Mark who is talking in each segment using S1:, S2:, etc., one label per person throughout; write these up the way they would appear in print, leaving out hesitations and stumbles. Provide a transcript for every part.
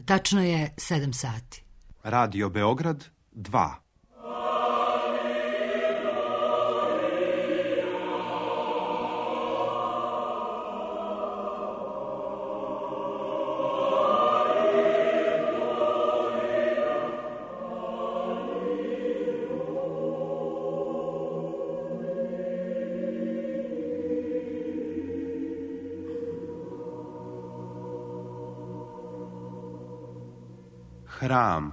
S1: Tačno je 7 sati.
S2: Radio Beograd 2. Hram.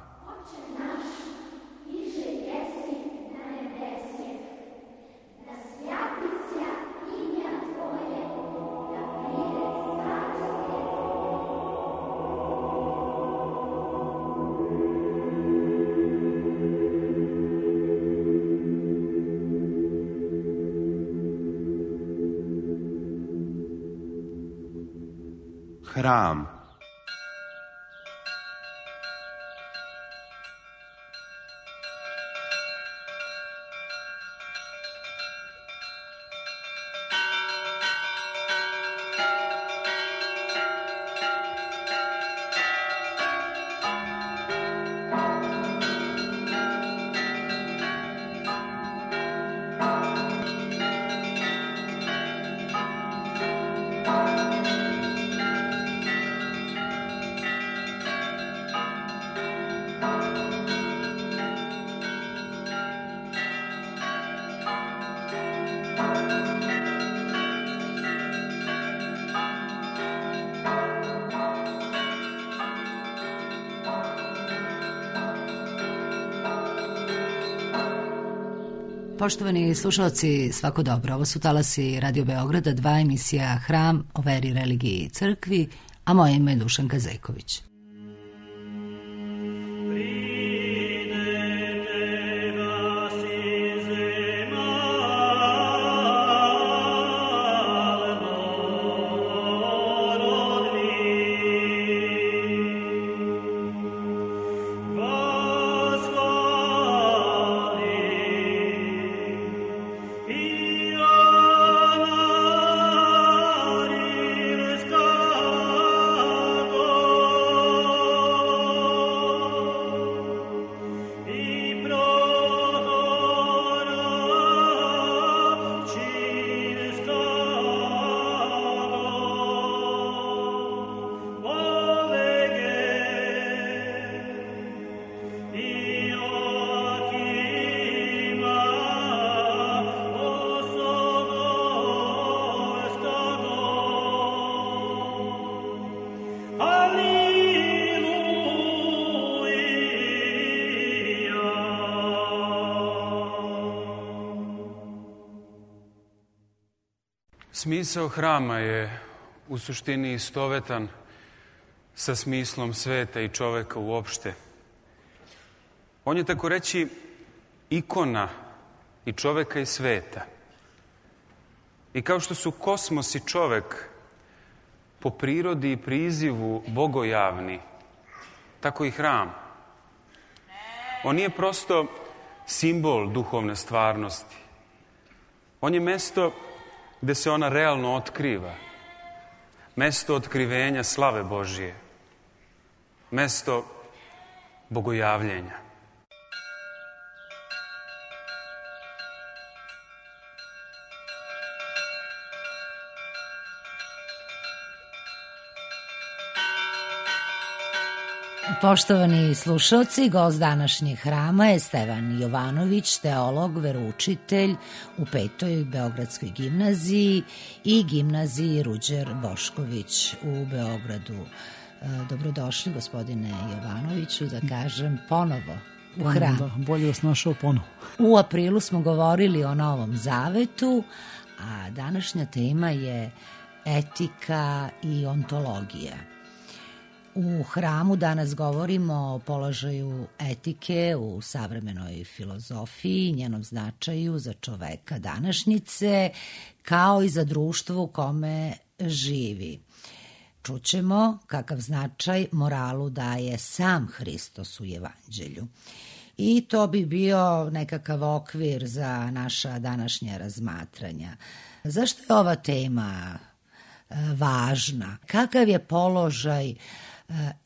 S2: Hram.
S1: Poštovani slušalci, svako dobro. Ovo su talasi Radio Beograda 2, emisija Hram o veri, religiji i crkvi, a moje ime je Dušanka Zejković.
S3: Smisao hrama je u suštini istovetan sa smislom sveta i čoveka uopšte. On je tako reći ikona i čoveka i sveta. I kao što su kosmos i čovek po prirodi i prizivu bogojavni, tako i hram. On nije prosto simbol duhovne stvarnosti. On je mesto gde se ona realno otkriva. Mesto otkrivenja slave Božije. Mesto bogojavljenja.
S1: Poštovani slušalci, gost današnjeg hrama je Stevan Jovanović, teolog, veroučitelj u 5. Beogradskoj gimnaziji i gimnaziji Ruđer Bošković u Beogradu. Dobrodošli, gospodine Jovanoviću, da kažem ponovo u hram.
S4: Da, bolje vas našao ponovo.
S1: U aprilu smo govorili o Novom Zavetu, a današnja tema je etika i ontologija. U hramu danas govorimo o položaju etike u savremenoj filozofiji, njenom značaju za čoveka današnjice, kao i za društvo u kome živi. Čućemo kakav značaj moralu daje sam Hristos u Evanđelju. I to bi bio nekakav okvir za naša današnja razmatranja. Zašto je ova tema važna? Kakav je položaj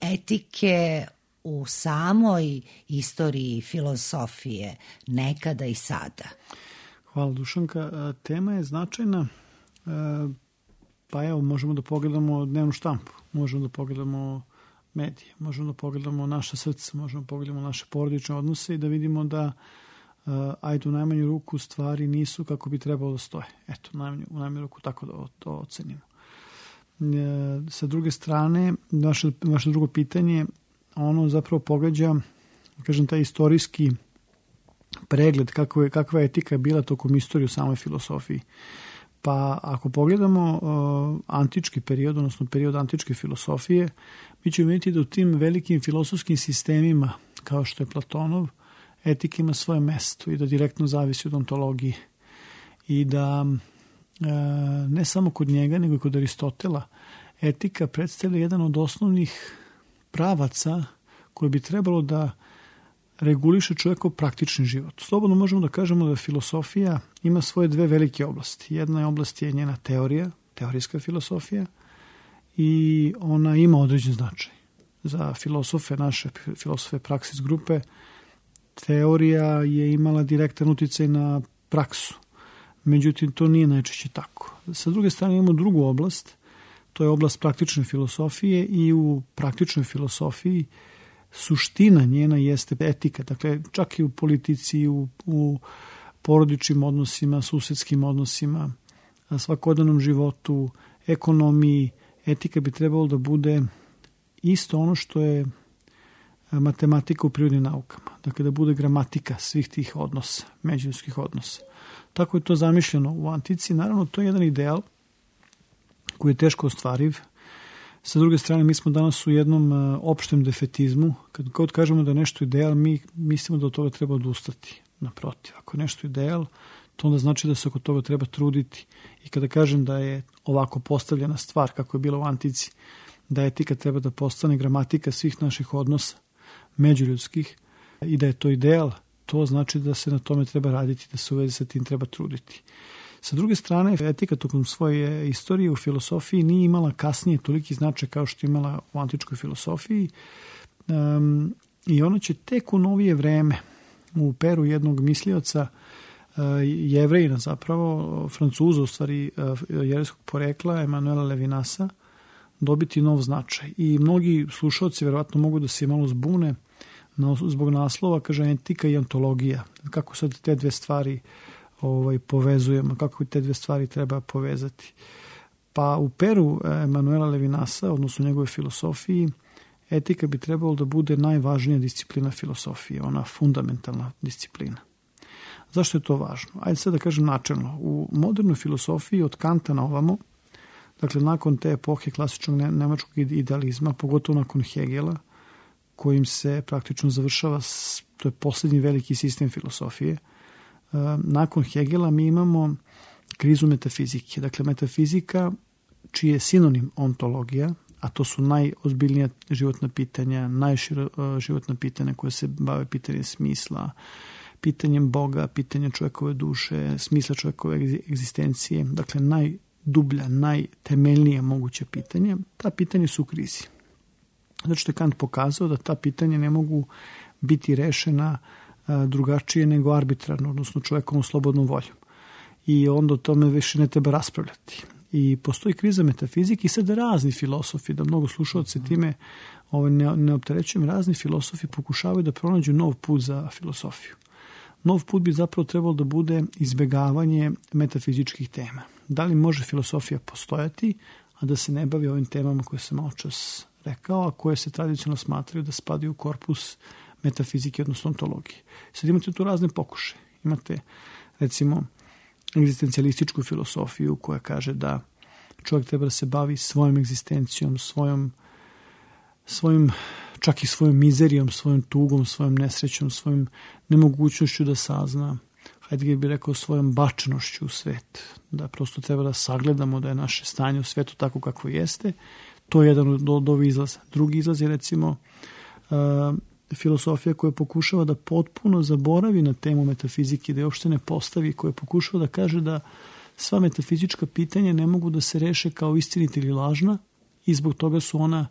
S1: etike u samoj istoriji filosofije, nekada i sada?
S4: Hvala, Dušanka. Tema je značajna, pa evo, možemo da pogledamo dnevnu štampu, možemo da pogledamo medije, možemo da pogledamo naše srce, možemo da pogledamo naše porodične odnose i da vidimo da ajde u najmanju ruku stvari nisu kako bi trebalo da stoje. Eto, u najmanju ruku tako da to ocenimo. Sa druge strane, vaše drugo pitanje, ono zapravo pogađa, kažem, taj istorijski pregled kakva je etika bila tokom istorije u samoj filosofiji. Pa ako pogledamo antički period, odnosno period antičke filosofije, mi ćemo vidjeti da u tim velikim filosofskim sistemima, kao što je Platonov, etika ima svoje mesto i da direktno zavisi od ontologije. I da ne samo kod njega, nego i kod Aristotela, etika predstavlja jedan od osnovnih pravaca koji bi trebalo da reguliše čovjekov praktični život. Slobodno možemo da kažemo da filosofija ima svoje dve velike oblasti. Jedna oblast je njena teorija, teorijska filosofija, i ona ima određen značaj. Za filosofe, naše filosofe Praksis grupe, teorija je imala direktan uticaj na praksu. Međutim, to nije najčešće tako. Sa druge strane imamo drugu oblast, to je oblast praktične filosofije i u praktičnoj filosofiji suština njena jeste etika. Dakle, čak i u politici, u porodičnim odnosima, susedskim odnosima, svakodnevnom životu, ekonomiji, etika bi trebalo da bude isto ono što je matematika u prirodnim naukama. Dakle, da bude gramatika svih tih odnosa, međuljudskih odnosa. Tako je to zamišljeno u antici. Naravno, to je jedan ideal koji je teško ostvariv. Sa druge strane, mi smo danas u jednom opštem defetizmu. Kad kažemo da je nešto ideal, mi mislimo da od toga treba odustati. Naprotiv, ako je nešto ideal, to onda znači da se oko toga treba truditi. I kada kažem da je ovako postavljena stvar, kako je bilo u antici, da etika treba da postane gramatika svih naših odnosa, međuljudskih, i da je to ideal, to znači da se na tome treba raditi, da se u vezi sa tim treba truditi. Sa druge strane, etika tokom svoje istorije u filosofiji nije imala kasnije toliki značaj kao što je imala u antičkoj filosofiji, i ona će tek u novije vreme, u peru jednog mislioca, Jevrejina zapravo, Francuza u stvari jevrejskog porekla, Emanuela Levinasa, dobiti nov značaj. I mnogi slušalci verovatno mogu da se malo zbune zbog naslova, kaže etika i ontologija. Kako sad te dve stvari povezujemo, kako te dve stvari treba povezati. Pa u peru Emanuela Levinasa, odnosno u njegove filosofiji, etika bi trebalo da bude najvažnija disciplina filosofije, ona fundamentalna disciplina. Zašto je to važno? Ajde sad da kažem načelno. U modernoj filosofiji od Kanta na ovamo, dakle nakon te epohe klasičnog nemačkog idealizma, pogotovo nakon Hegela, kojim se praktično završava, to je posljednji veliki sistem filosofije, nakon Hegela mi imamo krizu metafizike. Dakle, metafizika, čiji je sinonim ontologija, a to su najozbiljnija životna pitanja, najšira životna pitanja koje se bave pitanjem smisla, pitanjem Boga, pitanjem čovjekove duše, smisla čovjekove egzistencije, dakle najdublja, najtemeljnija moguća pitanja, ta pitanja su u krizi. Zato što je Kant pokazao da ta pitanja ne mogu biti rešena drugačije nego arbitrarno, odnosno čovjekovom slobodnom voljom. I onda o tome više ne treba raspravljati. I postoji kriza metafizike i sad razni filosofi, da mnogo slušalce time ne opterećujem, razni filosofi pokušavaju da pronađu nov put za filosofiju. Nov put bi zapravo trebalo da bude izbegavanje metafizičkih tema. Da li može filosofija postojati, a da se ne bavi ovim temama koje sam maločas rekao, a koje se tradicionalno smatraju da spadaju u korpus metafizike, odnosno ontologije. Sad imate tu razne pokušaje. Imate, recimo, egzistencijalističku filosofiju koja kaže da čovjek treba da se bavi svojom egzistencijom, svojim čak i svojom mizerijom, svojom tugom, svojom nesrećom, svojom nemogućnošću da sazna, hajde bih rekao svojom bačenošću u svet, da prosto treba da sagledamo da je naše stanje u svetu tako kako jeste. To je jedan od ovih izlaza. Drugi izlaz je recimo filosofija koja pokušava da potpuno zaboravi na temu metafizike, da je uopšte ne postavi, koja pokušava da kaže da sva metafizička pitanja ne mogu da se reše kao istinita ili lažna i zbog toga su ona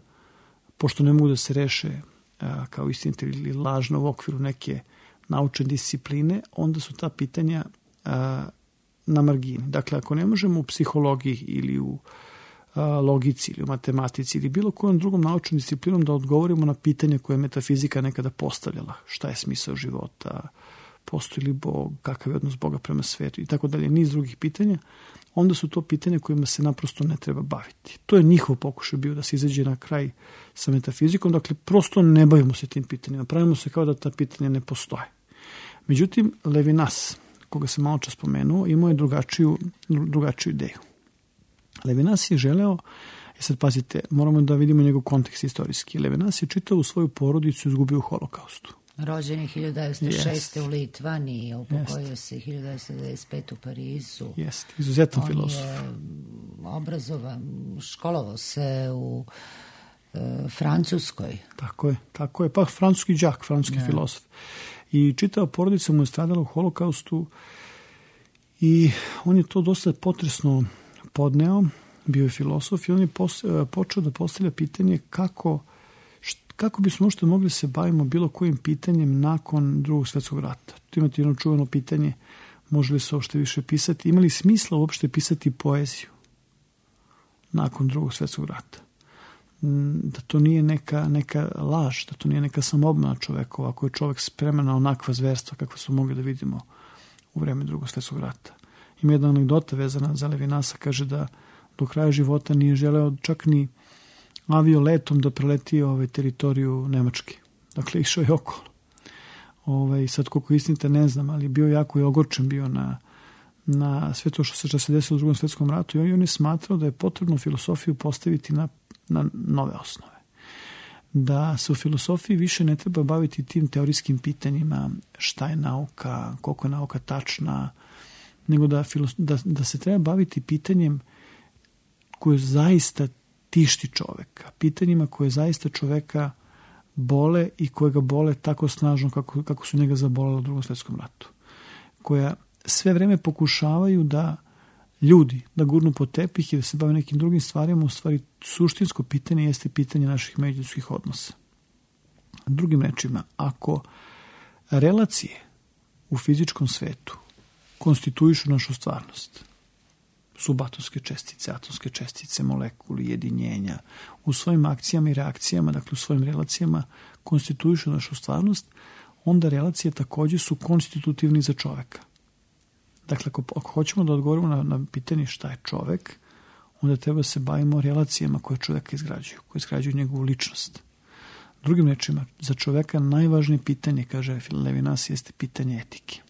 S4: pošto ne mogu da se reše kao istinite ili lažno u okviru neke naučne discipline, onda su ta pitanja na margini. Dakle, ako ne možemo u psihologiji ili u logici ili u matematici ili bilo kojom drugom naučnom disciplinom da odgovorimo na pitanja koje je metafizika nekada postavljala. Šta je smisao života, postoji li Bog, kakav je odnos Boga prema svetu i tako dalje, niz drugih pitanja, onda su to pitanja kojima se naprosto ne treba baviti. To je njihov pokušaj bio da se izađe na kraj sa metafizikom, dakle prosto ne bavimo se tim pitanjima, pravimo se kao da ta pitanja ne postoje. Međutim, Levinas, koga sam malo čas spomenuo, imao je drugačiju ideju. Levinas je želeo, sad pazite, moramo da vidimo njegov kontekst istorijski. Levinas je čitao u svoju porodicu izgubio u holokaustu.
S1: Rođen je 1906. u Litvaniji, a upokojio se 1995. u Parizu.
S4: Jeste, izuzetan filozof.
S1: On je obrazovan, školovao se u Francuskoj.
S4: Tako je, pa francuski đak, francuski filozof. I čitao porodica mu je stradala u holokaustu i on je to dosta potresno podneo, bio je filozof i on je počeo da postavlja pitanje kako bismo uopšte mogli se bavimo bilo kojim pitanjem nakon Drugog svjetskog rata. Tu imate jedno čuveno pitanje, može li se uopšte više pisati, ima li smisla uopšte pisati poeziju nakon Drugog svjetskog rata? Da to nije neka laž, da to nije neka samoobmana čovekova, ako je čovek spreman na onakva zverstva kakva smo mogli da vidimo u vreme Drugog svjetskog rata. Ima jedna anegdota vezana za Levinasa, kaže da do kraja života nije želeo čak ni avioletom da preleti teritoriju Nemačke. Dakle, išao je okolo. Sad koliko istinite ne znam, ali bio jako i ogorčen bio na sve to što se desilo u Drugom svjetskom ratu i on je smatrao da je potrebno filosofiju postaviti na nove osnove. Da se u filosofiji više ne treba baviti tim teorijskim pitanjima šta je nauka, koliko je nauka tačna, nego da se treba baviti pitanjem koje zaista tišti čoveka, pitanjima koje zaista čoveka bole i koje ga bole tako snažno kako su njega zabolele u Drugom svjetskom ratu, koja sve vreme pokušavaju da ljudi da gurnu po tepih i da se bave nekim drugim stvarima, u stvari suštinsko pitanje jeste pitanje naših međuljudskih odnosa. Drugim rečima, ako relacije u fizičkom svetu konstituišu našu stvarnost, subatomske čestice, atomske čestice, molekuli, jedinjenja, u svojim akcijama i reakcijama, dakle u svojim relacijama konstituišu našu stvarnost, onda relacije takođe su konstitutivni za čoveka. Dakle, ako hoćemo da odgovorimo na pitanje šta je čovek, onda treba se bavimo relacijama koje čoveka izgrađuju, koje izgrađuju njegovu ličnost. Drugim rečima, za čoveka najvažnije pitanje, kaže Levinas, jeste pitanje etike.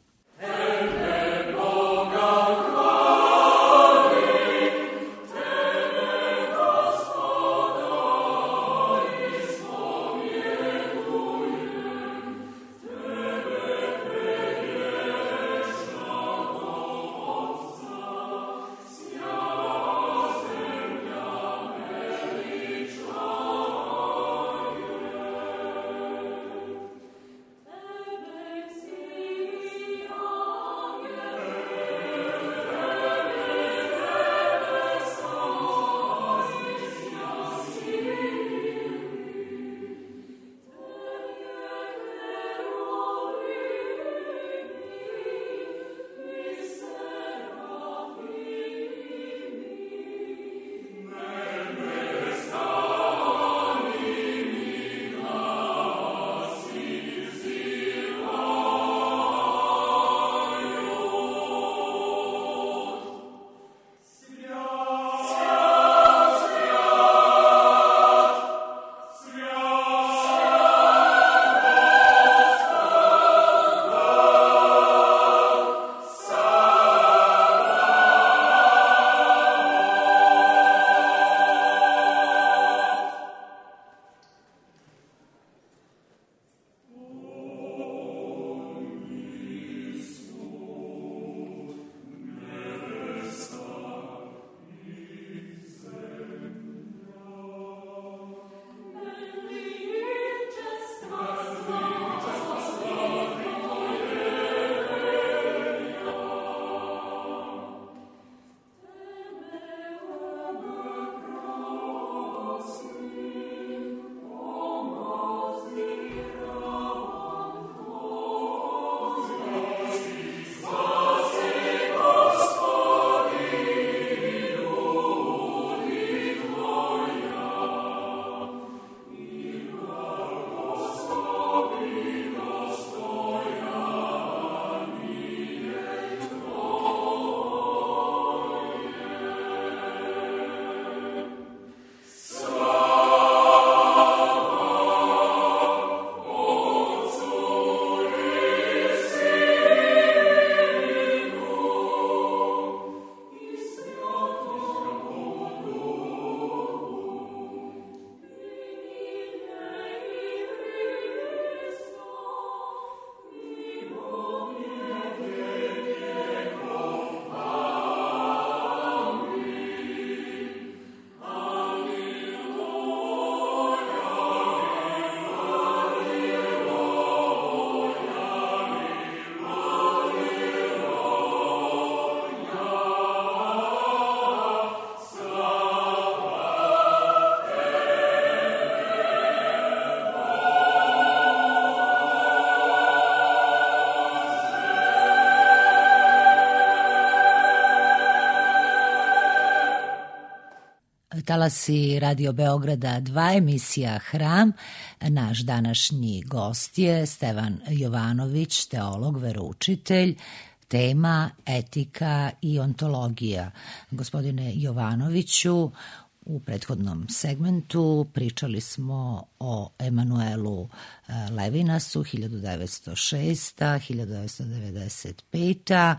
S1: talasi Radio Beograda 2, emisija Hram. Naš današnji gost je Stevan Jovanović, teolog, veroučitelj. Tema etika i ontologija. Gospodine Jovanoviću, u prethodnom segmentu pričali smo o Emanuelu Levinasu 1906-1995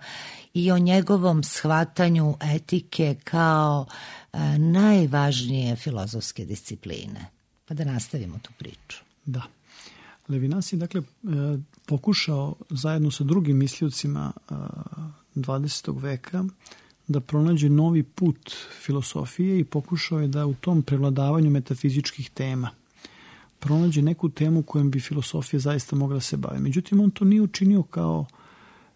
S1: i o njegovom shvatanju etike kao najvažnije filozofske discipline. Pa da nastavimo tu priču.
S4: Da. Levinas je dakle pokušao zajedno sa drugim misliocima 20. veka da pronađe novi put filosofije i pokušao je da u tom prevladavanju metafizičkih tema pronađe neku temu kojom bi filosofija zaista mogla se baviti. Međutim, on to nije učinio kao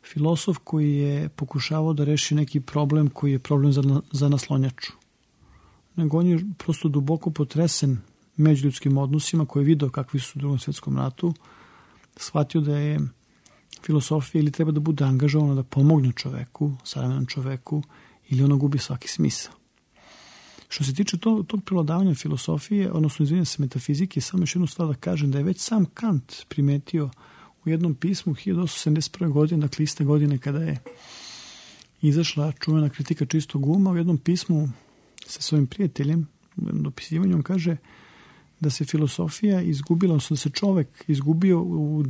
S4: filosof koji je pokušavao da reši neki problem koji je problem za naslonjaču. Nego on je prosto duboko potresen međuljudskim odnosima, koji je video kakvi su u Drugom svjetskom ratu, shvatio da je filosofija ili treba da bude angažovana da pomogne čoveku, savremenom čoveku, ili ona gubi svaki smisao. Što se tiče tog prevladavanja filosofije, odnosno izvinjam se metafizike, samo još jednu stvar da kažem da je već sam Kant primetio u jednom pismu 1871. godine, dakle iste godine kada je izašla čuvena kritika čistog uma, u jednom pismu sa svojim prijateljem, u jednom dopisivanju, on kaže da se filosofija izgubila, odnosno da se čovek izgubio u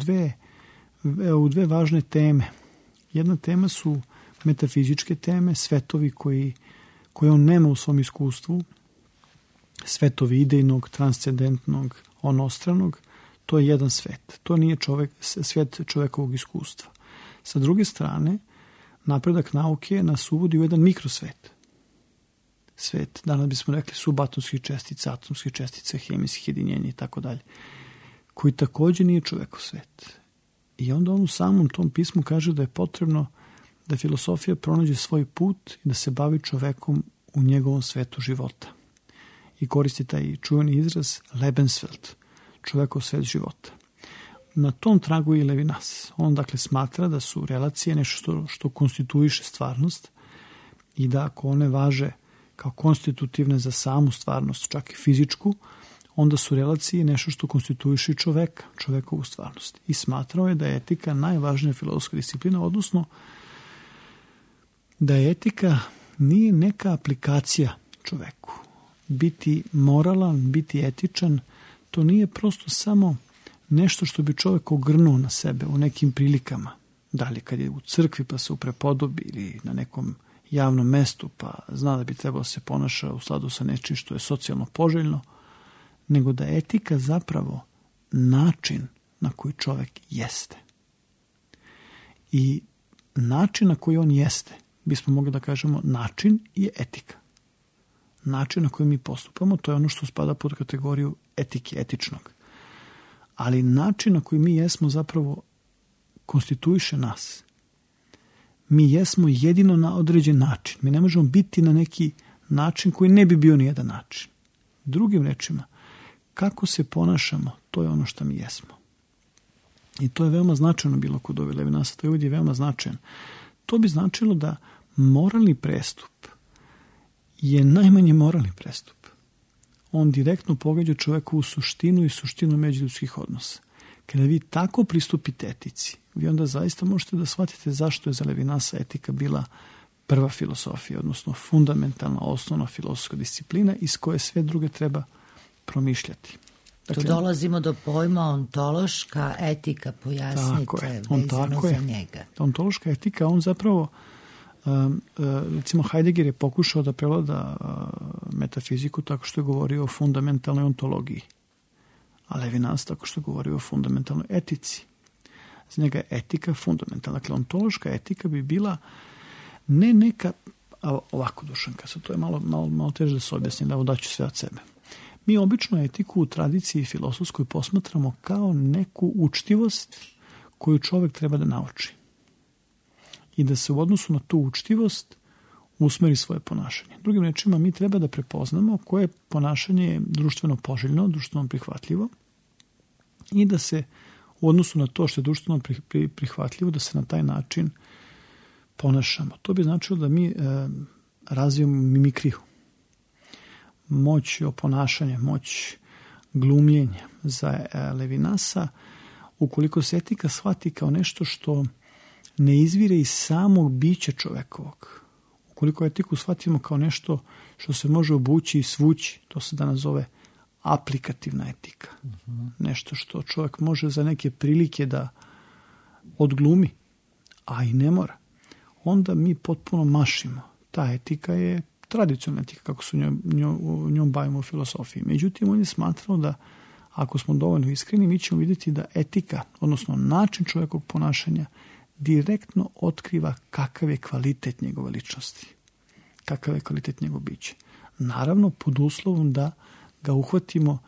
S4: dve važne teme. Jedna tema su metafizičke teme, svetovi koje on nema u svom iskustvu, svetovi idejnog, transcendentnog, onostranog, to je jedan svet. To nije svet čovekovog iskustva. Sa druge strane, napredak nauke nas uvodi u jedan mikrosvet. Svet, danas bismo rekli, subatomskih čestica, atomskih čestica, hemijskih jedinjenja i tako dalje, koji također nije čovekov svet. I onda on u samom tom pismu kaže da je potrebno da filosofija pronađe svoj put i da se bavi čovekom u njegovom svetu života. I koristi taj čuveni izraz Lebenswelt, čovekov svet života. Na tom tragu je i Levinas. On dakle smatra da su relacije nešto što konstituiše stvarnost i da ako one važe kao konstitutivne za samu stvarnost, čak i fizičku, onda su relacije nešto što konstituiše čoveka, čovekovu stvarnost. I smatrao je da je etika najvažnija filozofska disciplina, odnosno da je etika nije neka aplikacija čoveku. Biti moralan, biti etičan, to nije prosto samo nešto što bi čovek ogrnuo na sebe u nekim prilikama. Da li kad je u crkvi pa se uprepodobi ili na nekom javnom mestu pa zna da bi trebalo se ponaša u skladu sa nečim što je socijalno poželjno, nego da je etika zapravo način na koji čovek jeste. I način na koji on jeste, bismo mogli da kažemo, način je etika. Način na koji mi postupamo, to je ono što spada pod kategoriju etike, etičnog. Ali način na koji mi jesmo zapravo konstituiše nas. Mi jesmo jedino na određen način. Mi ne možemo biti na neki način koji ne bi bio nijedan način. Drugim rečima, kako se ponašamo, to je ono što mi jesmo. I to je veoma značajno bilo kod ove Levinasa, to je ovdje veoma značajan. To bi značilo da moralni prestup je najmanje moralni prestup. On direktno pogađa čovekovu suštinu i suštinu međuljudskih odnosa. Kada vi tako pristupite etici, vi onda zaista možete da shvatite zašto je za Levinasa etika bila prva filosofija, odnosno fundamentalna, osnovna filozofska disciplina iz koje sve druge treba promišljati.
S1: Dakle, tu dolazimo do pojma ontološka etika, pojasnite vezano za njega.
S4: Ontološka etika, on zapravo, recimo Heidegger je pokušao da prevlada metafiziku tako što je govorio o fundamentalnoj ontologiji, a Levinas tako što je govorio o fundamentalnoj etici. Za njega je etika fundamentalna. Dakle, ontološka etika bi bila ne neka, ovako Dušanka, sad to je malo teže da se objasnim, da daću sve od sebe. Mi obično etiku u tradiciji filosofskoj posmatramo kao neku učtivost koju čovjek treba da nauči. I da se u odnosu na tu učtivost usmeri svoje ponašanje. Drugim rečima, mi treba da prepoznamo koje ponašanje je društveno poželjno, društveno prihvatljivo i da se u odnosu na to što je društveno prihvatljivo, da se na taj način ponašamo. To bi značilo da mi razvijemo mimikriju. moć oponašanja, moć glumljenja za Levinasa, ukoliko se etika shvati kao nešto što ne izvire iz samog bića čovekovog, ukoliko etiku shvatimo kao nešto što se može obući i svući, to se danas zove aplikativna etika. Nešto što čovjek može za neke prilike da odglumi, a i ne mora. Onda mi potpuno mašimo. Ta etika je tradicionalna etika, kako se njom bavimo u filosofiji. Međutim, on je smatrao da ako smo dovoljno iskreni, mi ćemo vidjeti da etika, odnosno način čovjekovog ponašanja, direktno otkriva kakav je kvalitet njegove ličnosti, kakav je kvalitet njegov bića. Naravno, pod uslovom da ga uhvatimo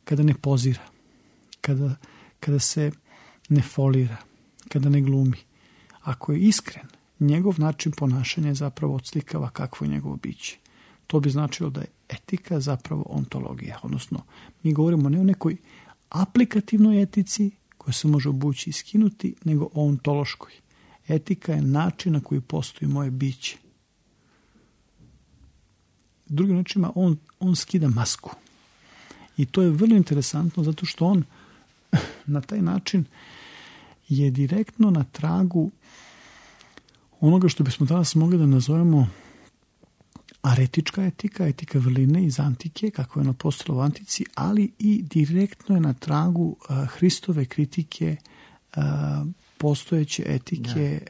S4: kada ne pozira, kada se ne folira, kada ne glumi. Ako je iskren, njegov način ponašanja zapravo odslikava kakvo je njegovo biće. To bi značilo da je etika zapravo ontologija, odnosno mi govorimo ne o nekoj aplikativnoj etici koja se može obući i skinuti, nego o ontološkoj. Etika je način na koji postoji moje biće. Drugim rečima, on skida masku. I to je vrlo interesantno zato što on na taj način je direktno na tragu onoga što bismo danas mogli da nazovemo aretička etika, etika vrline iz antike, kako je ona postala u antici, ali i direktno je na tragu Hristove kritike postojeće etike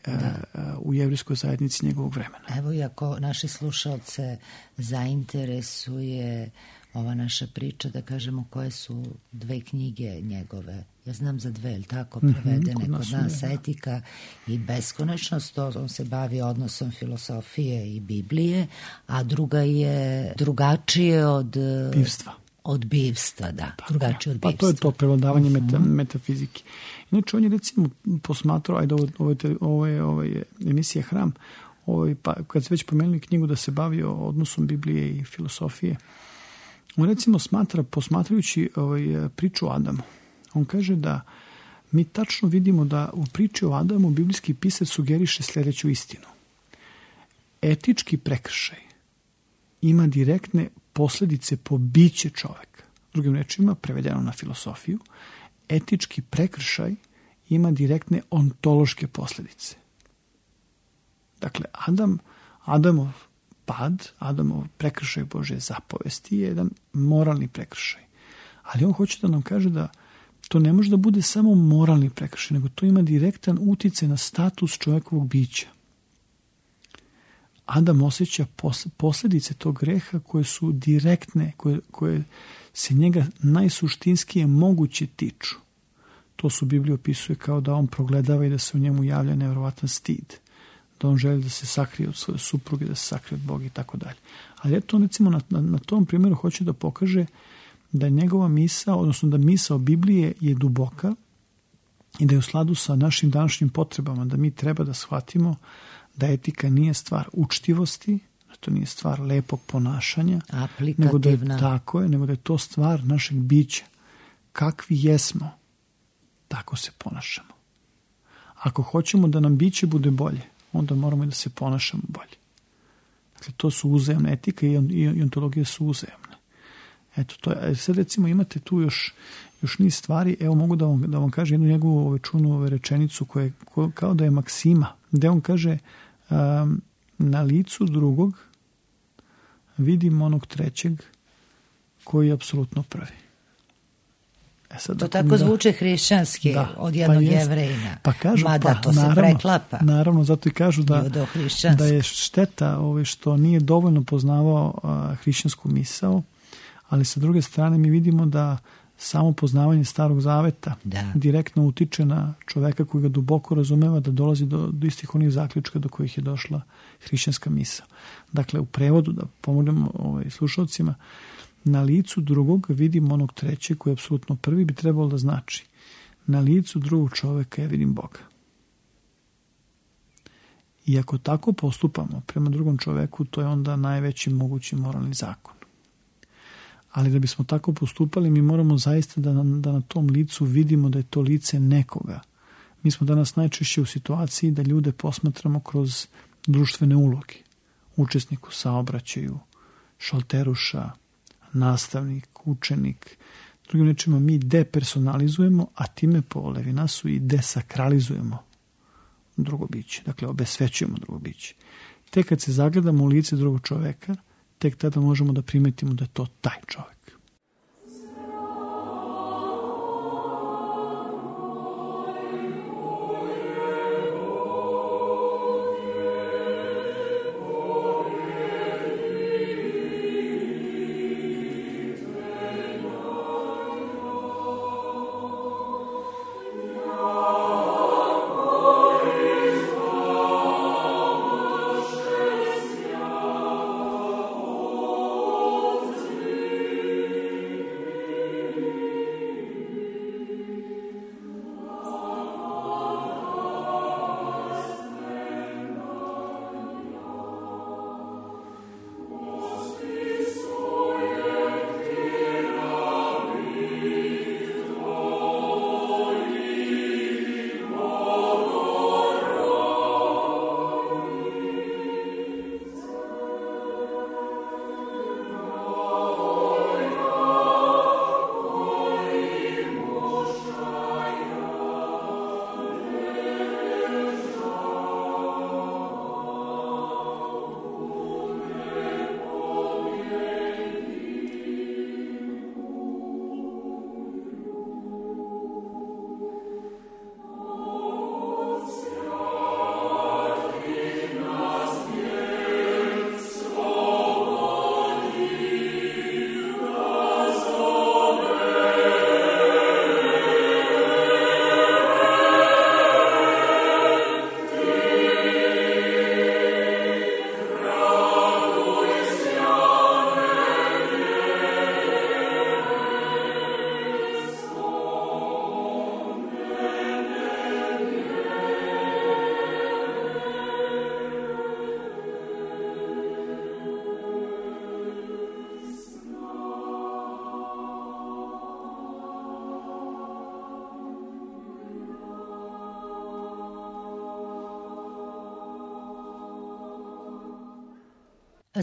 S4: u jevrijskoj zajednici njegovog vremena.
S1: Evo, i ako naše slušalce zainteresuje ova naša priča, da kažemo koje su 2 knjige njegove. Ja znam za 2, ili tako, prevedene kod nas, Etika i beskonačnost. On se bavi odnosom filosofije i Biblije, a druga je drugačije od
S4: bivstva.
S1: Od bivstva, da. Drugačije od bivstva.
S4: Pa to je to prevladavanje metafizike. Inače, on je recimo posmatrao, ovo je emisija Hram, pa kad se već pomenuli knjigu da se bavi o odnosom Biblije i filosofije, on recimo posmatrajući priču o Adamu, on kaže da mi tačno vidimo da u priči o Adamu biblijski pisac sugeriše sljedeću istinu. Etički prekršaj ima direktne posljedice po biće čoveka. Drugim rečima, prevedeno na filosofiju, etički prekršaj ima direktne ontološke posljedice. Dakle, Adamov pad, Adamov prekršaj Božje zapovesti je jedan moralni prekršaj. Ali on hoće da nam kaže da to ne može da bude samo moralni prekršaj, nego to ima direktan uticaj na status čovjekovog bića. Adam osjeća posljedice tog greha koje su direktne, koje se njega najsuštinskije moguće tiču. To su Biblija opisuje kao da on progledava i da se u njemu javlja nevjerovatan stid. Da on želi da se sakrije od svoje supruge, da se sakrije od Boga i tako dalje. Ali eto, on recimo na tom primjeru hoće da pokaže da je njegova misao, odnosno da misao Biblije je duboka i da je u skladu sa našim današnjim potrebama, da mi treba da shvatimo da etika nije stvar učtivosti, da to nije stvar lepog ponašanja, nego da je nego da je to stvar našeg bića. Kakvi jesmo, tako se ponašamo. Ako hoćemo da nam biće bude bolje, onda moramo i da se ponašamo bolje. Dakle, to su uzajamne, etika i ontologija su uzajamne. Eto, to je. Sad recimo imate tu još niz stvari. Evo, mogu da vam kažem jednu njegovu čunu rečenicu koja kao da je maksima, gde on kaže na licu drugog vidim onog trećeg koji je apsolutno prvi. Sad,
S1: to tako zvuče hrišćanski od jednog Jevrejina.
S4: Pa kažu,
S1: mada to se preklapa.
S4: Naravno, zato i kažu da je šteta što nije dovoljno poznavao hrišćansku misao, ali sa druge strane mi vidimo da samo poznavanje Starog Zaveta direktno utiče na čoveka koji ga duboko razumeva da dolazi do istih onih zaključka do kojih je došla hrišćanska misao. Dakle, u prevodu, da pomognemo slušalcima, na licu drugog vidim onog trećeg koji je apsolutno prvi, bi trebalo da znači na licu drugog čoveka ja vidim Boga. I ako tako postupamo prema drugom čoveku, to je onda najveći mogući moralni zakon. Ali da bismo tako postupali, mi moramo zaista da na tom licu vidimo da je to lice nekoga. Mi smo danas najčešće u situaciji da ljude posmatramo kroz društvene uloge. Učesnik u saobraćaju, šalteruša, nastavnik, učenik. Drugim rečima, mi depersonalizujemo, a time po Levinasu i desakralizujemo drugo biće. Dakle, obesvećujemo drugo biće. Tek kad se zagledamo u lice drugog čoveka, tek tada možemo da primetimo da je to taj čovek.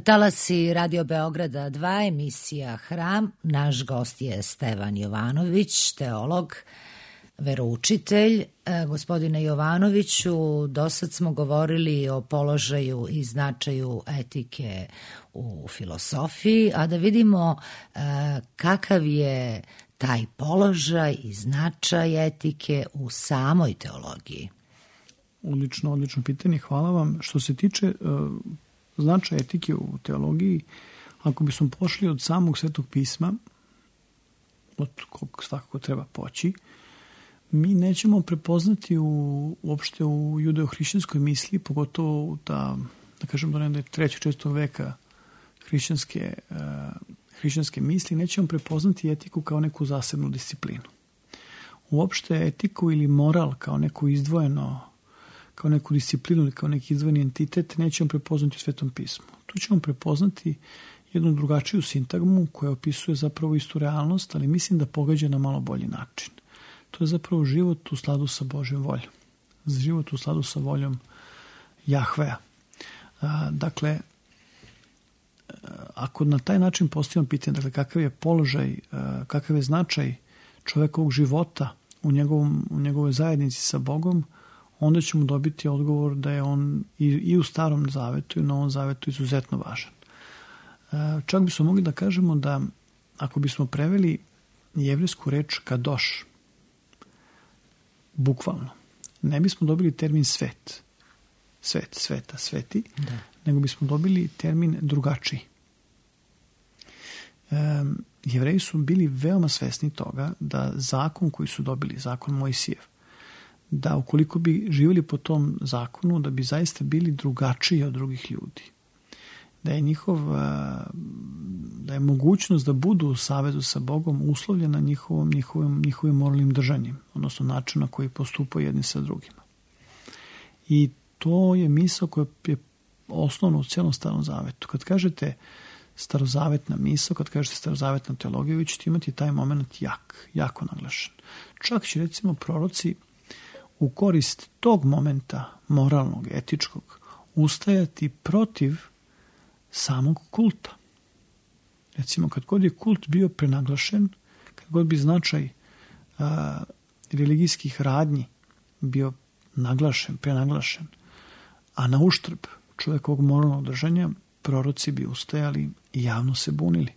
S1: Talasi Radio Beograda 2, emisija Hram. Naš gost je Stevan Jovanović, teolog, veroučitelj. Gospodine Jovanoviću, dosad smo govorili o položaju i značaju etike u filosofiji, a da vidimo kakav je taj položaj i značaj etike u samoj teologiji.
S4: Odlično pitanje, hvala vam. Što se tiče značaj etike u teologiji, ako bismo pošli od samog Svetog pisma, od kog svakako treba poći, mi nećemo prepoznati uopšte u judeo-hrišćanskoj misli, pogotovo u da kažem da je 3. 4. veka hrišćanske misli, nećemo prepoznati etiku kao neku zasebnu disciplinu. Uopšte etiku ili moral kao neku izdvojeno, kao neku disciplinu ili kao neki izdvojeni entitet nećemo prepoznati u Svetom pismu. Tu ćemo prepoznati jednu drugačiju sintagmu koja opisuje zapravo istu realnost, ali mislim da pogađa na malo bolji način. To je zapravo život u skladu sa Božjom voljom. Život u skladu sa voljom Jahvea. Dakle, ako na taj način postavimo pitanje, dakle, kakav je položaj, kakav je značaj čovekovog života u njegovoj zajednici sa Bogom, onda ćemo dobiti odgovor da je on i u Starom zavetu i u Novom zavetu izuzetno važan. Čak bismo mogli da kažemo da ako bismo preveli jevrijsku reč kadoš, bukvalno, ne bismo dobili termin svet, sveta, sveti, da, nego bismo dobili termin drugačiji. Jevreji su bili veoma svesni toga da zakon koji su dobili, zakon Mojsijev, da ukoliko bi živjeli po tom zakonu, da bi zaista bili drugačiji od drugih ljudi. Da je mogućnost da budu u savezu sa Bogom uslovljena njihovim moralnim držanjem, odnosno način na koji postupaju jedni sa drugima. I to je misao koja je osnovna u celom Starom zavetu. Kad kažete starozavetna misao, kad kažete starozavetna teologija, vi ćete imati taj moment jako naglašen. Čak će recimo proroci u korist tog momenta moralnog, etičkog, ustajati protiv samog kulta. Recimo, kad god je kult bio prenaglašen, kad god bi značaj religijskih radnji bio naglašen, prenaglašen, a na uštrb čovjekovog moralnog držanja, proroci bi ustajali i javno se bunili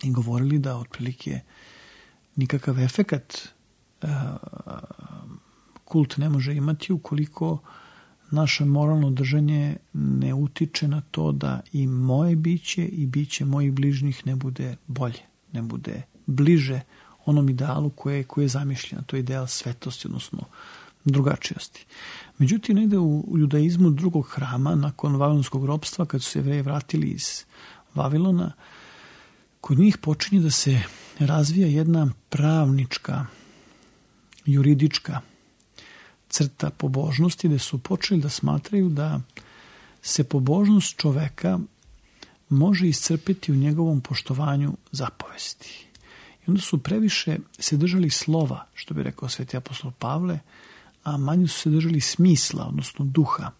S4: i govorili da otprilike nikakav efekat kult ne može imati ukoliko naše moralno držanje ne utiče na to da i moje biće i biće mojih bližnjih ne bude bolje, ne bude bliže onom idealu koje je zamišljeno. To je ideal svetosti, odnosno drugačijosti. Međutim, negde u judaizmu drugog hrama, nakon vavilonskog ropstva, kad su se Jevreji vratili iz Vavilona, kod njih počinje da se razvija jedna pravnička, juridička crta pobožnosti, gde su počeli da smatraju da se pobožnost čoveka može iscrpiti u njegovom poštovanju zapovesti. I onda su previše se držali slova, što bi rekao sveti apostol Pavle, a manje su se držali smisla, odnosno duha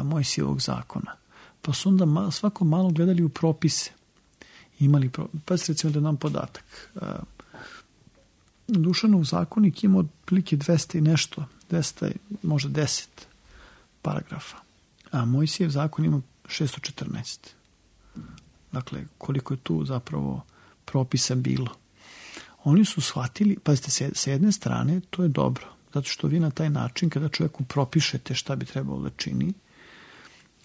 S4: Mojsijevog zakona. Pa su onda svako malo gledali u propise. Pa se recimo da nam podatak. Dušanov zakonik ima otprilike 200 i nešto, 200, možda 10 paragrafa. A Mojsijev zakon ima 614. Dakle, koliko je tu zapravo propisa bilo. Oni su shvatili, pazite, sa jedne strane to je dobro, zato što vi na taj način, kada čovjeku propišete šta bi trebalo da čini,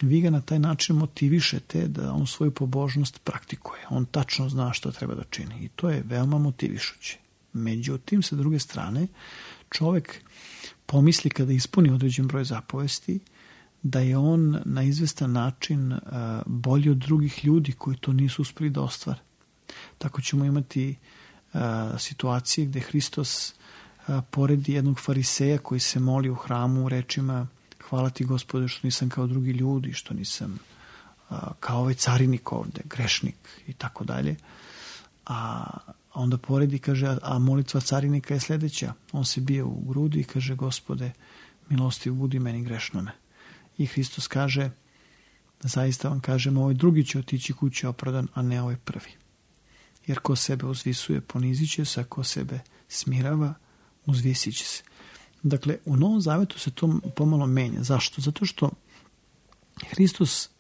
S4: vi ga na taj način motivišete da on svoju pobožnost praktikuje. On tačno zna što treba da čini i to je veoma motivišuće. Međutim, sa druge strane, čovjek pomisli kada ispuni određen broj zapovesti da je on na izvestan način bolji od drugih ljudi koji to nisu uspeli da ostvare. Tako ćemo imati situacije gdje Hristos poredi jednog fariseja koji se moli u hramu rečima: hvala ti Gospode što nisam kao drugi ljudi, što nisam kao ovaj carinik ovde, grešnik i tako dalje. A onda poredi, kaže, a molitva carinika je sljedeća. On se bije u grudi i kaže: Gospode, milostiv budi meni grešnome. I Hristos kaže: zaista vam kažem, ovaj drugi će otići kući opravdan, a ne ovaj prvi. Jer ko sebe uzvisuje, ponizit će se, a ko sebe smirava, uzvisit će se. Dakle, u Novom Zavetu se to pomalo menja. Zašto? Zato što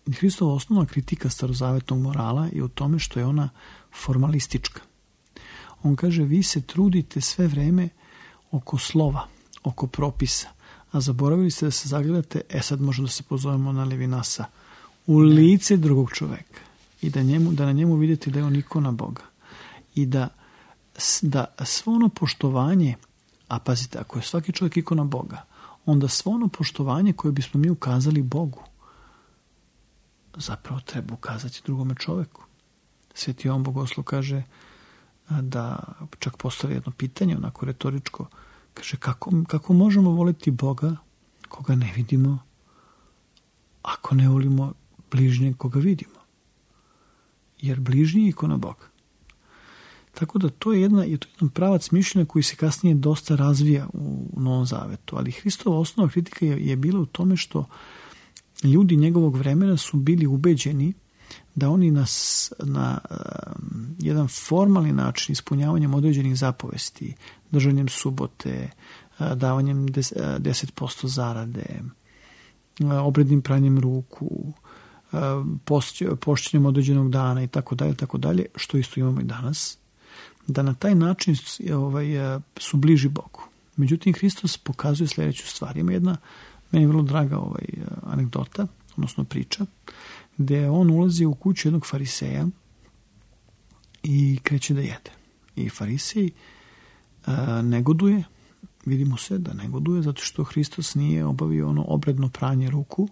S4: Hristova osnovna kritika starozavetnog morala je u tome što je ona formalistička. On kaže: vi se trudite sve vreme oko slova, oko propisa, a zaboravili ste da se zagledate, sad možemo da se pozovemo na Levinasa, u lice drugog čoveka i da na njemu vidite da je on ikona Boga i da svo ono poštovanje, a pazite, ako je svaki čovjek ikona Boga, onda svo ono poštovanje koje bismo mi ukazali Bogu zapravo treba ukazati drugome čovjeku. Sveti Jovan Bogoslov kaže da čak postavi jedno pitanje, onako retoričko, kaže: kako možemo voliti Boga koga ne vidimo, ako ne volimo bližnjeg koga vidimo? Jer bližnji je ikona Boga. Tako da to je jedan pravac mišljenja koji se kasnije dosta razvija u Novom Zavetu. Ali Hristova osnovna kritika je bila u tome što ljudi njegovog vremena su bili ubeđeni da oni na jedan formalni način, ispunjavanjem određenih zapovesti, držanjem subote, davanjem 10% zarade, obrednim pranjem ruku, pošćenjem određenog dana i tako dalje, što isto imamo i danas, da na taj način su bliži Bogu. Međutim, Hristos pokazuje sljedeću stvar. Ima jedna meni vrlo draga anegdota, odnosno priča, gdje on ulazi u kuću jednog fariseja i kreće da jede. I farisej negoduje, vidimo se da negoduje, zato što Hristos nije obavio ono obredno pranje ruku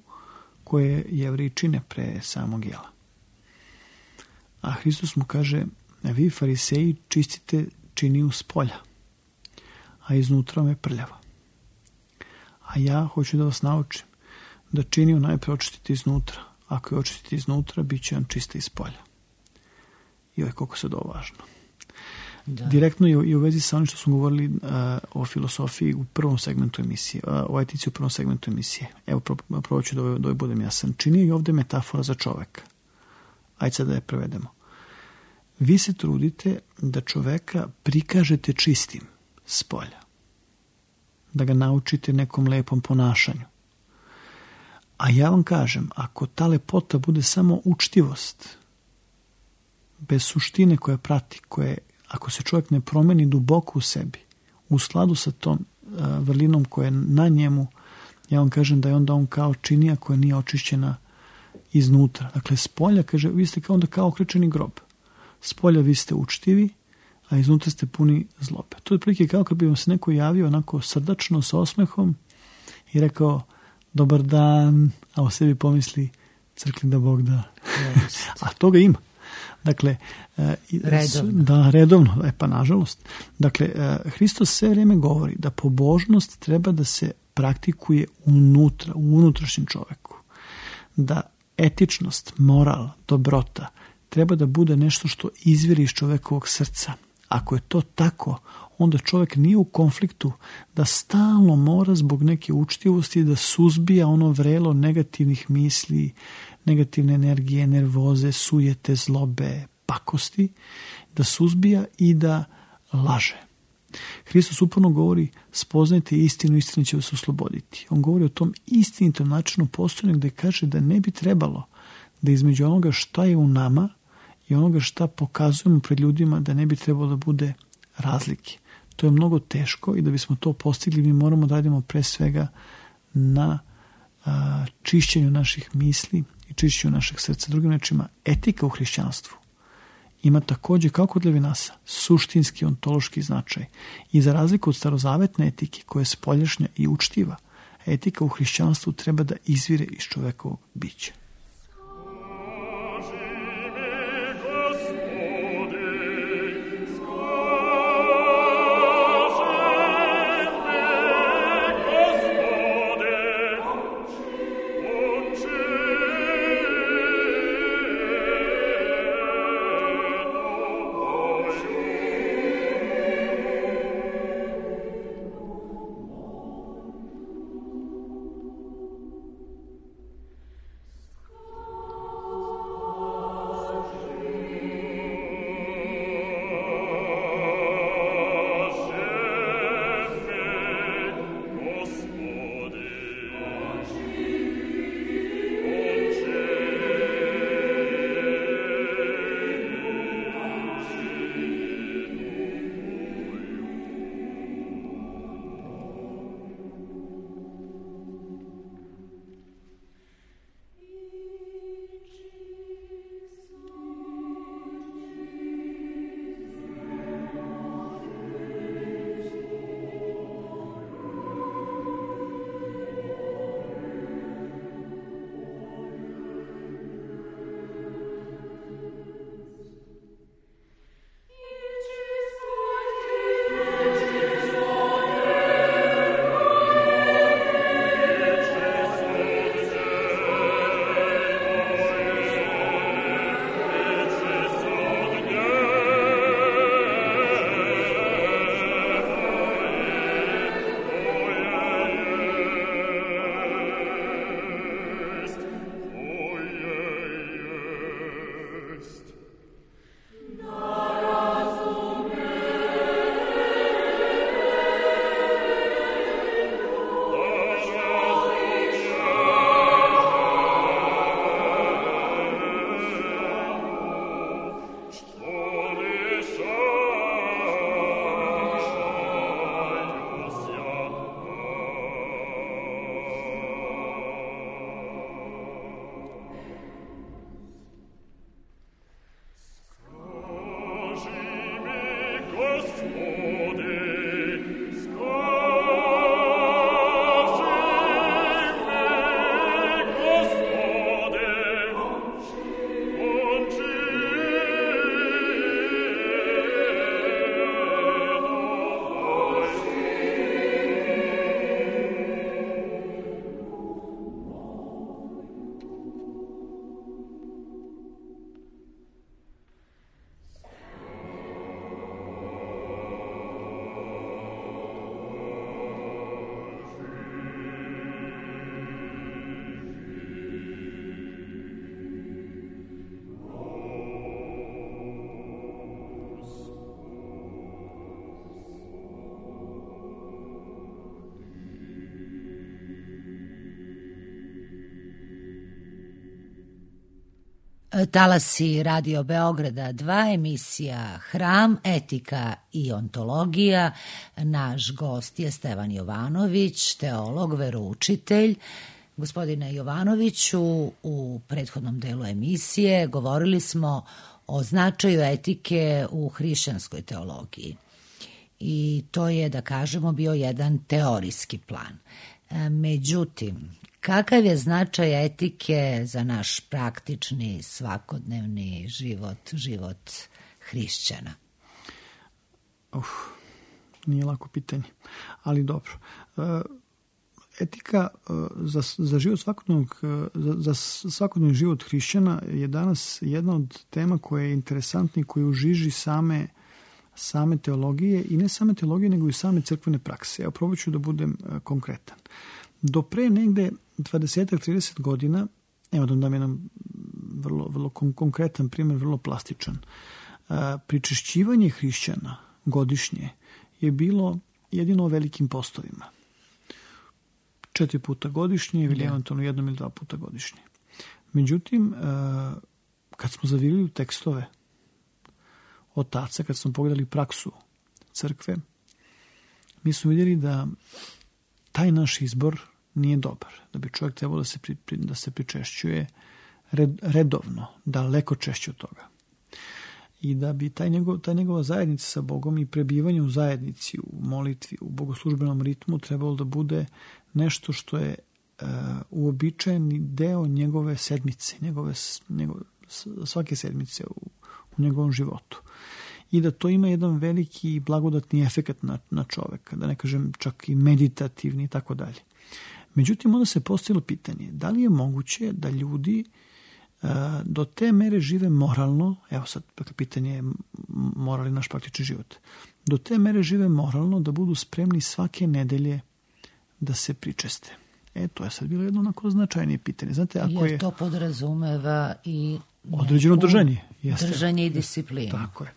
S4: koje Jevreji čine pre samog jela. A Hristos mu kaže: vi fariseji čistite činiju s polja, a iznutra me prljava. A ja hoću da vas naučim da činiju najprije očistiti iznutra. Ako je očistiti iznutra, bit će on čista iz polja. I koliko se ovo važno. Da. Direktno je i u vezi sa onim što smo govorili o filosofiji u prvom segmentu emisije, o etici u prvom segmentu emisije. Evo, probat ću da budem jasan. Čini i ovdje metafora za čoveka. Ajde sad da je prevedemo. vi se trudite da čoveka prikažete čistim s polja. Da ga naučite nekom lepom ponašanju. A ja vam kažem, ako ta lepota bude samo učtivost, bez suštine koja prati, ako se čovjek ne promeni duboko u sebi, u skladu sa tom vrlinom koja je na njemu, ja vam kažem da je onda on kao činija koja nije očišćena iznutra. Dakle, s polja, kaže, vi ste kao okrečeni grob. S polja vi ste učtivi, a iznutra ste puni zlobe. To je otprilike kao kad bi vam se neko javio onako srdačno, sa osmehom i rekao dobar dan, a o sebi pomisli crkli da Bog da. A toga ima. Dakle, redovno, pa nažalost. Dakle, Hristos sve vrijeme govori da pobožnost treba da se praktikuje unutra, u unutrašnjem čoveku. Da etičnost, moral, dobrota treba da bude nešto što izviri iz čovekovog srca. Ako je to tako, onda čovjek nije u konfliktu da stalno mora zbog neke učtivosti da suzbija ono vrelo negativnih misli, negativne energije, nervoze, sujete, zlobe, pakosti, da suzbija i da laže. Hristos uporno govori, spoznajte istinu, istina će vas osloboditi. On govori o tom istinitom načinu postojanja gdje kaže da ne bi trebalo da između onoga šta je u nama i onoga šta pokazujemo pred ljudima da ne bi trebalo da bude razlike. To je mnogo teško i da bismo to postigli mi moramo da radimo pre svega na čišćenju naših misli i čišćenju našeg srca. Drugim rečima, etika u hrišćanstvu ima također, kao kod Levinasa, suštinski ontološki značaj. I za razliku od starozavetne etike koja je spoljašnja i učtiva, etika u hrišćanstvu treba da izvire iz čovekovog bića.
S1: Talasi Radio Beograda 2, emisija Hram, etika i ontologija. Naš gost je Stevan Jovanović, teolog, veroučitelj. Gospodine Jovanoviću, u prethodnom delu emisije govorili smo o značaju etike u hrišćanskoj teologiji. I to je, da kažemo, bio jedan teorijski plan. Međutim, kakav je značaj etike za naš praktični, svakodnevni život hrišćana?
S4: Nije lako pitanje, ali dobro. Etika za život za svakodnevni život hrišćana je danas jedna od tema koja je interesantna i koja je u žiži same teologije, i ne same teologije, nego i same crkvene prakse. Evo, probat ću da budem konkretan. Do pre negde 20-30 godina, evo da dam jedan vrlo konkretan primjer, vrlo plastičan. Pričešćivanje hrišćana godišnje je bilo jedino o velikim postovima. 4 puta godišnje ili eventualno 1 ili 2 puta godišnje. Međutim, kad smo zavirili u tekstove otaca, kad smo pogledali praksu crkve, mi smo vidjeli da taj naš izbor nije dobar, da bi čovjek trebao da se pričešćuje redovno, daleko češće od toga. I da bi ta njegova zajednica sa Bogom i prebivanje u zajednici, u molitvi, u bogoslužbenom ritmu trebalo da bude nešto što je uobičajeni deo njegove sedmice, svake sedmice u njegovom životu. I da to ima jedan veliki blagodatni efekat na čoveka, da ne kažem čak i meditativni i tako dalje. Međutim, onda se postavilo pitanje, da li je moguće da ljudi do te mere žive moralno, evo sad pitanje je moralni naš praktični život, do te mere žive moralno da budu spremni svake nedelje da se pričeste. To je sad bilo jedno onako značajnije pitanje. Znate, ako
S1: jer to podrazumeva i
S4: određeno držanje.
S1: Držanje i disciplinu.
S4: Tako je.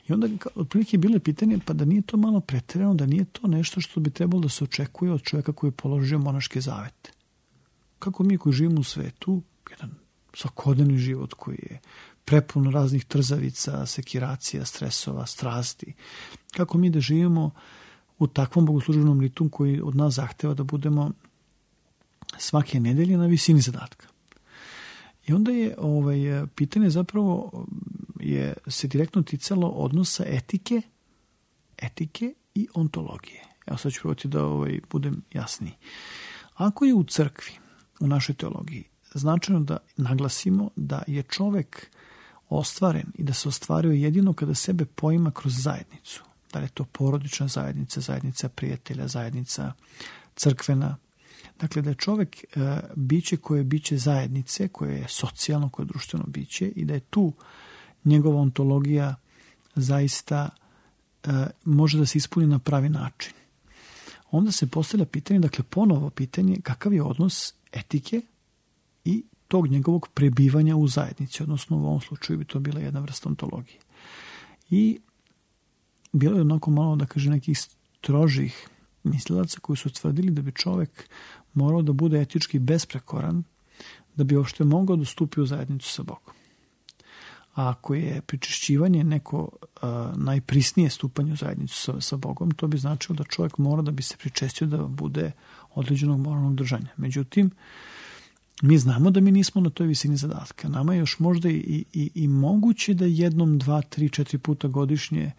S4: I onda otprilike je bilo pitanje, pa da nije to malo pretjerano, da nije to nešto što bi trebalo da se očekuje od čovjeka koji je položio monaške zavete. Kako mi koji živimo u svetu, jedan svakodnevni život koji je prepun raznih trzavica, sekiracija, stresova, strasti, kako mi da živimo u takvom bogoslužbenom ritmu koji od nas zahteva da budemo svake nedelje na visini zadatka. I onda je pitanje zapravo se direktno ticalo odnosa etike i ontologije. Evo sad ću probati da budem jasniji. Ako je u crkvi, u našoj teologiji, značajno da naglasimo da je čovek ostvaren i da se ostvario jedino kada sebe poima kroz zajednicu. Da li je to porodična zajednica, zajednica prijatelja, zajednica crkvena. Dakle, da je čovek biće koje je biće zajednice, koje je socijalno, koje je društveno biće i da je tu njegova ontologija zaista može da se ispuni na pravi način. Onda se postavlja pitanje, dakle ponovo pitanje, kakav je odnos etike i tog njegovog prebivanja u zajednici, odnosno u ovom slučaju bi to bila jedna vrsta ontologije. I bilo je onako malo, da kaže, nekih strožih mislilaca koji su tvrdili da bi čovek morao da bude etički besprekoran da bi uopšte mogao da stupi u zajednicu sa Bogom. A ako je pričešćivanje neko najprisnije stupanje u zajednicu sa Bogom, to bi značilo da čovjek mora da bi se pričestio da bude određenog moralnog držanja. Međutim, mi znamo da mi nismo na toj visini zadatka. Nama je još možda i moguće da 1, 2, 3, 4 puta godišnje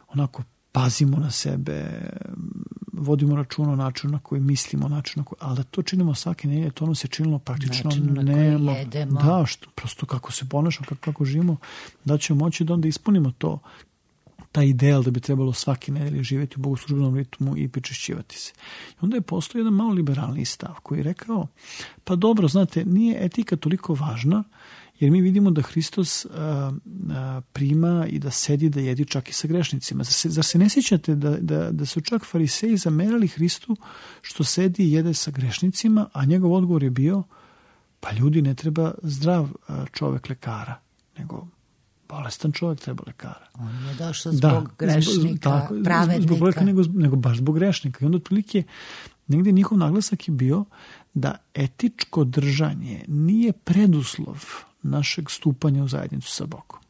S4: onako pazimo na sebe, vodimo računa o načinu na koji mislimo, ali da to činimo svake nedelje, to nam se činilo praktično
S1: jedemo.
S4: Da, prosto kako se ponašamo, kako živimo, da ćemo moći da onda ispunimo taj ideal da bi trebalo svake nedelje živjeti u bogoslužbenom ritmu i pričešćivati se. I onda je postao jedan malo liberalni stav koji je rekao, pa dobro, znate, nije etika toliko važna, jer mi vidimo da Hristos prima i da sedi, da jedi čak i sa grešnicima. Zar se ne sjećate da su čak fariseji zamerali Hristu što sedi i jede sa grešnicima, a njegov odgovor je bio, pa ljudi, ne treba zdrav čovek lekara, nego bolestan čovjek treba lekara.
S1: On je došao zbog grešnika, pravednika.
S4: Zbog bolesnika, nego baš zbog grešnika. I onda otprilike negdje njihov naglasak je bio da etičko držanje nije preduslov našeg stupanja u zajednicu sa Bogom.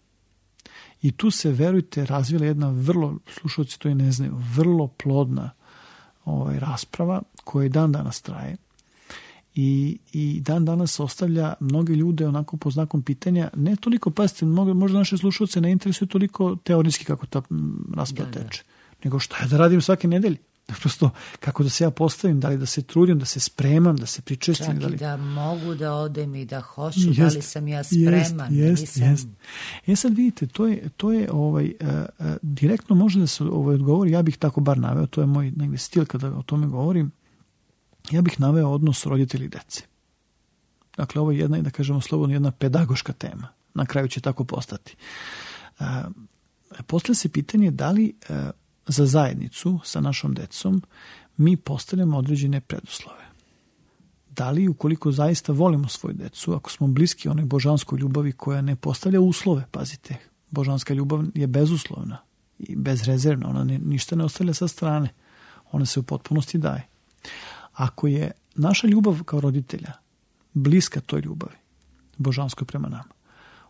S4: I tu se, verujte, razvila jedna vrlo, slušalci to i ne znaju, vrlo plodna rasprava koja i dan danas traje. I dan danas ostavlja mnoge ljude onako pod znakom pitanja, ne toliko, pazite, možda naše slušalce ne interesuje toliko teorijski kako ta rasprava teče, nego šta ja da radim svake nedelje. Prosto, kako da se ja postavim, da li da se trudim, da se spremam, da se pričestim.
S1: Čak i da mogu da odem i da hoću, da li sam ja spreman.
S4: Jest. Sad vidite, to je direktno može da se odgovori, ja bih tako bar naveo, to je moj negdje stil kada o tome govorim, ja bih naveo odnos roditelji i dece. Dakle, ovo je jedna, da kažemo slobodno, jedna pedagoška tema. Na kraju će tako postati. Postavlja se pitanje da li za zajednicu sa našom decom mi postavljamo određene preduslove. Da li, ukoliko zaista volimo svoju decu, ako smo bliski onoj božanskoj ljubavi koja ne postavlja uslove, pazite, božanska ljubav je bezuslovna i bezrezervna, ona ništa ne ostavlja sa strane, ona se u potpunosti daje. Ako je naša ljubav kao roditelja bliska toj ljubavi, božanskoj prema nama,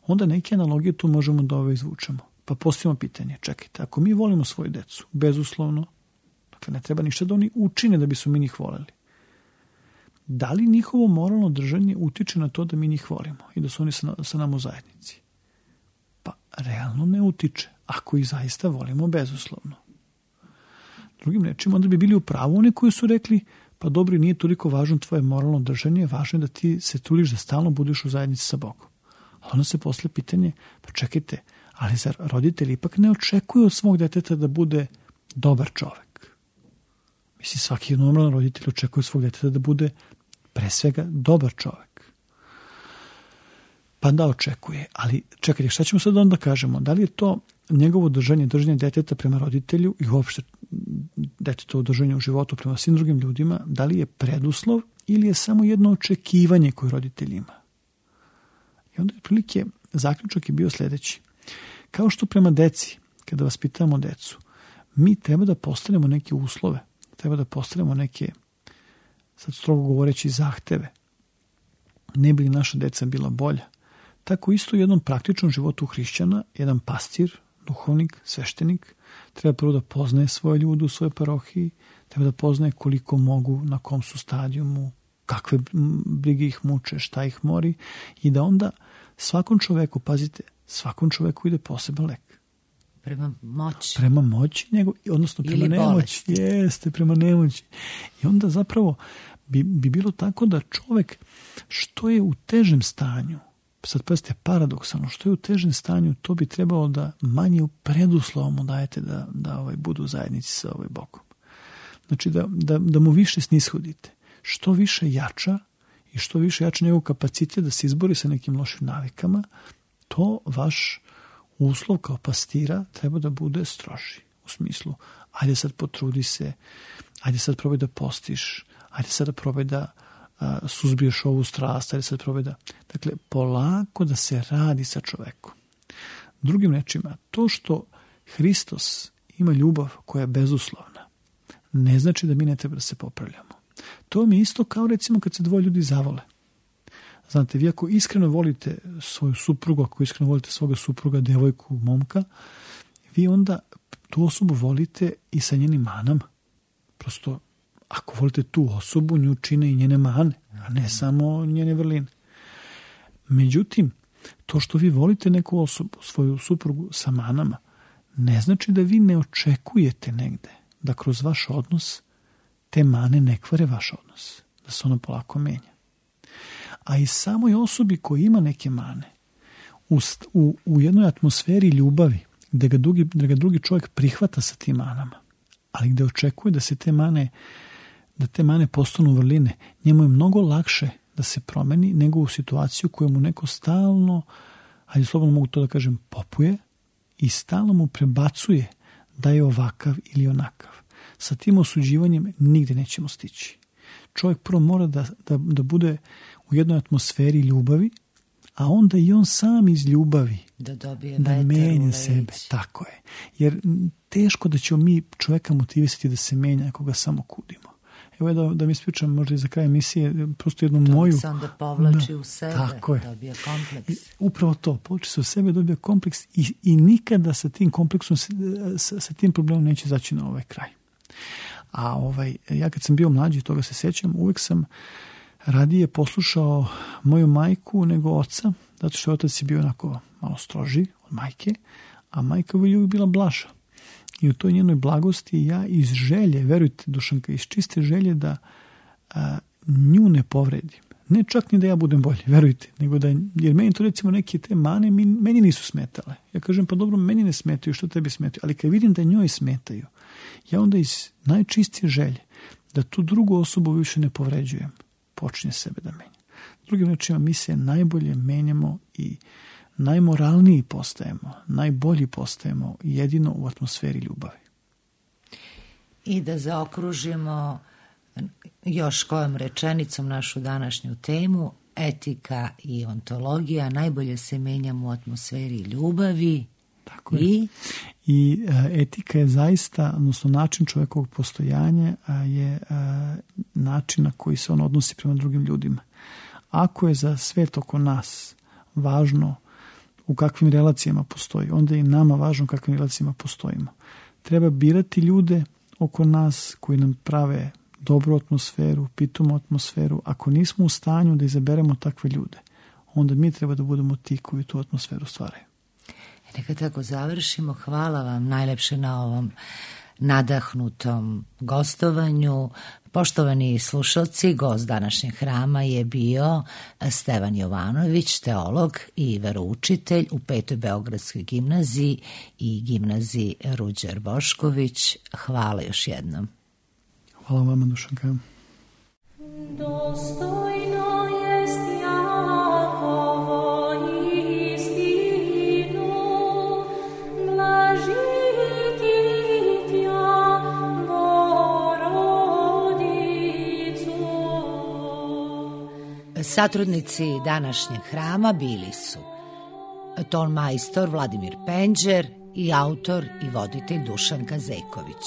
S4: onda neke analogije tu možemo da izvučemo. Pa postavimo pitanje, čekajte, ako mi volimo svoju decu, bezuslovno, dakle ne treba ništa da oni učine da bi su mi njih voleli. Da li njihovo moralno držanje utiče na to da mi njih volimo i da su oni sa nama u zajednici? Pa realno ne utiče, ako ih zaista volimo bezuslovno. Drugim rečima, onda bi bili u pravu oni koji su rekli, pa dobro, nije toliko važno tvoje moralno držanje, važno je da ti se trudiš da stalno budeš u zajednici sa Bogom. A onda se posle pitanje, pa čekajte, ali zar roditelji ipak ne očekuju od svog deteta da bude dobar čovek? Mislim, svaki normalan roditelj očekuje od svog deteta da bude pre svega dobar čovek. Pa da, očekuje, ali čekajte, šta ćemo sad onda kažemo? Da li je to njegovo držanje deteta prema roditelju i uopšte detetovo držanje u životu prema svim drugim ljudima, da li je preduslov ili je samo jedno očekivanje koje roditelj ima? I onda prilike zaključak je bio sljedeći. Kao što prema deci, kada vaspitamo decu, mi treba da postavljamo neke uslove, treba da postavljamo neke, sad strogo govoreći, zahteve. Ne bi li naša deca bila bolja? Tako isto u jednom praktičnom životu hrišćana, jedan pastir, duhovnik, sveštenik, treba prvo da poznaje svoje ljude u svojoj parohiji, treba da poznaje koliko mogu, na kom su stadijumu, kakve brige ih muče, šta ih mori i da onda svakom čoveku, pazite, svakom čoveku ide poseban lek. Prema moći, odnosno prema nemoći. Jeste, prema nemoći. I onda zapravo bi bilo tako da čovek što je u težem stanju, sad pazite, paradoksalno, što je u težem stanju, to bi trebalo da manje u preduslovu mu dajete da budu u zajednici sa Bogom. Znači da mu više snishodite. Što više jača i što više jača njegov kapacitet da se izbori sa nekim lošim navikama, to vaš uslov kao pastira treba da bude stroži. U smislu, ajde sad potrudi se, ajde sad probaj da postiš, ajde sad da probaj da suzbiješ ovu strast, ajde sad probaj da... Dakle, polako da se radi sa čovekom. Drugim rečima, to što Hristos ima ljubav koja je bezuslovna, ne znači da mi ne treba da se popravljamo. To mi je isto kao recimo kad se dvoje ljudi zavole. Znate, vi ako iskreno volite svoju suprugu, ako iskreno volite svoga supruga, devojku, momka, vi onda tu osobu volite i sa njenim manama. Prosto, ako volite tu osobu, nju čine i njene mane, a ne samo njene vrline. Međutim, to što vi volite neku osobu, svoju suprugu sa manama, ne znači da vi ne očekujete negde da kroz vaš odnos te mane ne kvare vaš odnos, da se ono polako menja. A i samoj osobi koja ima neke mane, u jednoj atmosferi ljubavi, gde ga drugi čovjek prihvata sa tim manama, ali gde očekuje da se te mane postanu vrline, njemu je mnogo lakše da se promeni nego u situaciju koju mu neko stalno, ajde slobodno mogu to da kažem, popuje i stalno mu prebacuje da je ovakav ili onakav. Sa tim osuđivanjem nigde nećemo stići. Čovjek prvo mora da bude u jednoj atmosferi ljubavi, a onda i on sam iz ljubavi da menja sebe. Tako je. Jer teško da ćemo mi čovjeka motivisati da se menja ako ga samo kudimo. Evo da mi ispričam možda i za kraj emisije, prosto jednu moju...
S1: To se onda povlači u sebe, dobija kompleks.
S4: Upravo to, povlači se u sebe, dobija kompleks i nikada sa tim kompleksom, sa tim problemom neće zaći na ovaj kraj. A ja kad sam bio mlađi, toga se sjećam, uvek sam radije poslušao moju majku nego oca, zato što otac je bio onako malo stroži od majke, a majka je uvijek bila blaža. I u toj njenoj blagosti ja iz želje, verujte Dušanka, iz čiste želje da nju ne povredim. Ne čak ni da ja budem bolji, verujte, nego da, jer meni to recimo neke te mane meni nisu smetale. Ja kažem, pa dobro, meni ne smetaju, što tebi smetaju, ali kad vidim da njoj smetaju, ja onda iz najčistije želje da tu drugu osobu više ne povređujem, počinje sebe da menja. Drugim rečima, mi se najbolje menjamo i najmoralniji postajemo, najbolji postajemo jedino u atmosferi ljubavi.
S1: I da zaokružimo još kojom rečenicom našu današnju temu, etika i ontologija, najbolje se menjamo u atmosferi ljubavi.
S4: Tako je. I etika je zaista, odnosno način čovjekovog postojanja je način na koji se on odnosi prema drugim ljudima. Ako je za svet oko nas važno u kakvim relacijama postoji, onda je i nama važno u kakvim relacijama postojimo. Treba birati ljude oko nas koji nam prave dobru atmosferu, pitomu atmosferu. Ako nismo u stanju da izaberemo takve ljude, onda mi treba da budemo ti koji tu atmosferu stvaraju.
S1: Neka tako završimo. Hvala vam najlepše na ovom nadahnutom gostovanju. Poštovani slušalci, gost današnjeg hrama je bio Stevan Jovanović, teolog i veroučitelj u 5. Beogradskoj gimnaziji i gimnaziji Ruđer Bošković. Hvala još jednom.
S4: Hvala vama, Dušanka.
S5: Dostojno jest Jakovo istinu, blažiti tja Borodicu.
S1: Satrudnici današnjeg hrama bili su tonmajstor Vladimir Penđer i autor i voditelj Dušanka Zeković.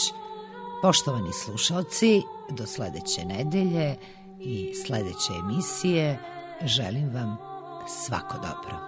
S1: Poštovani slušalci, do sledeće nedelje i sledeće emisije želim vam svako dobro.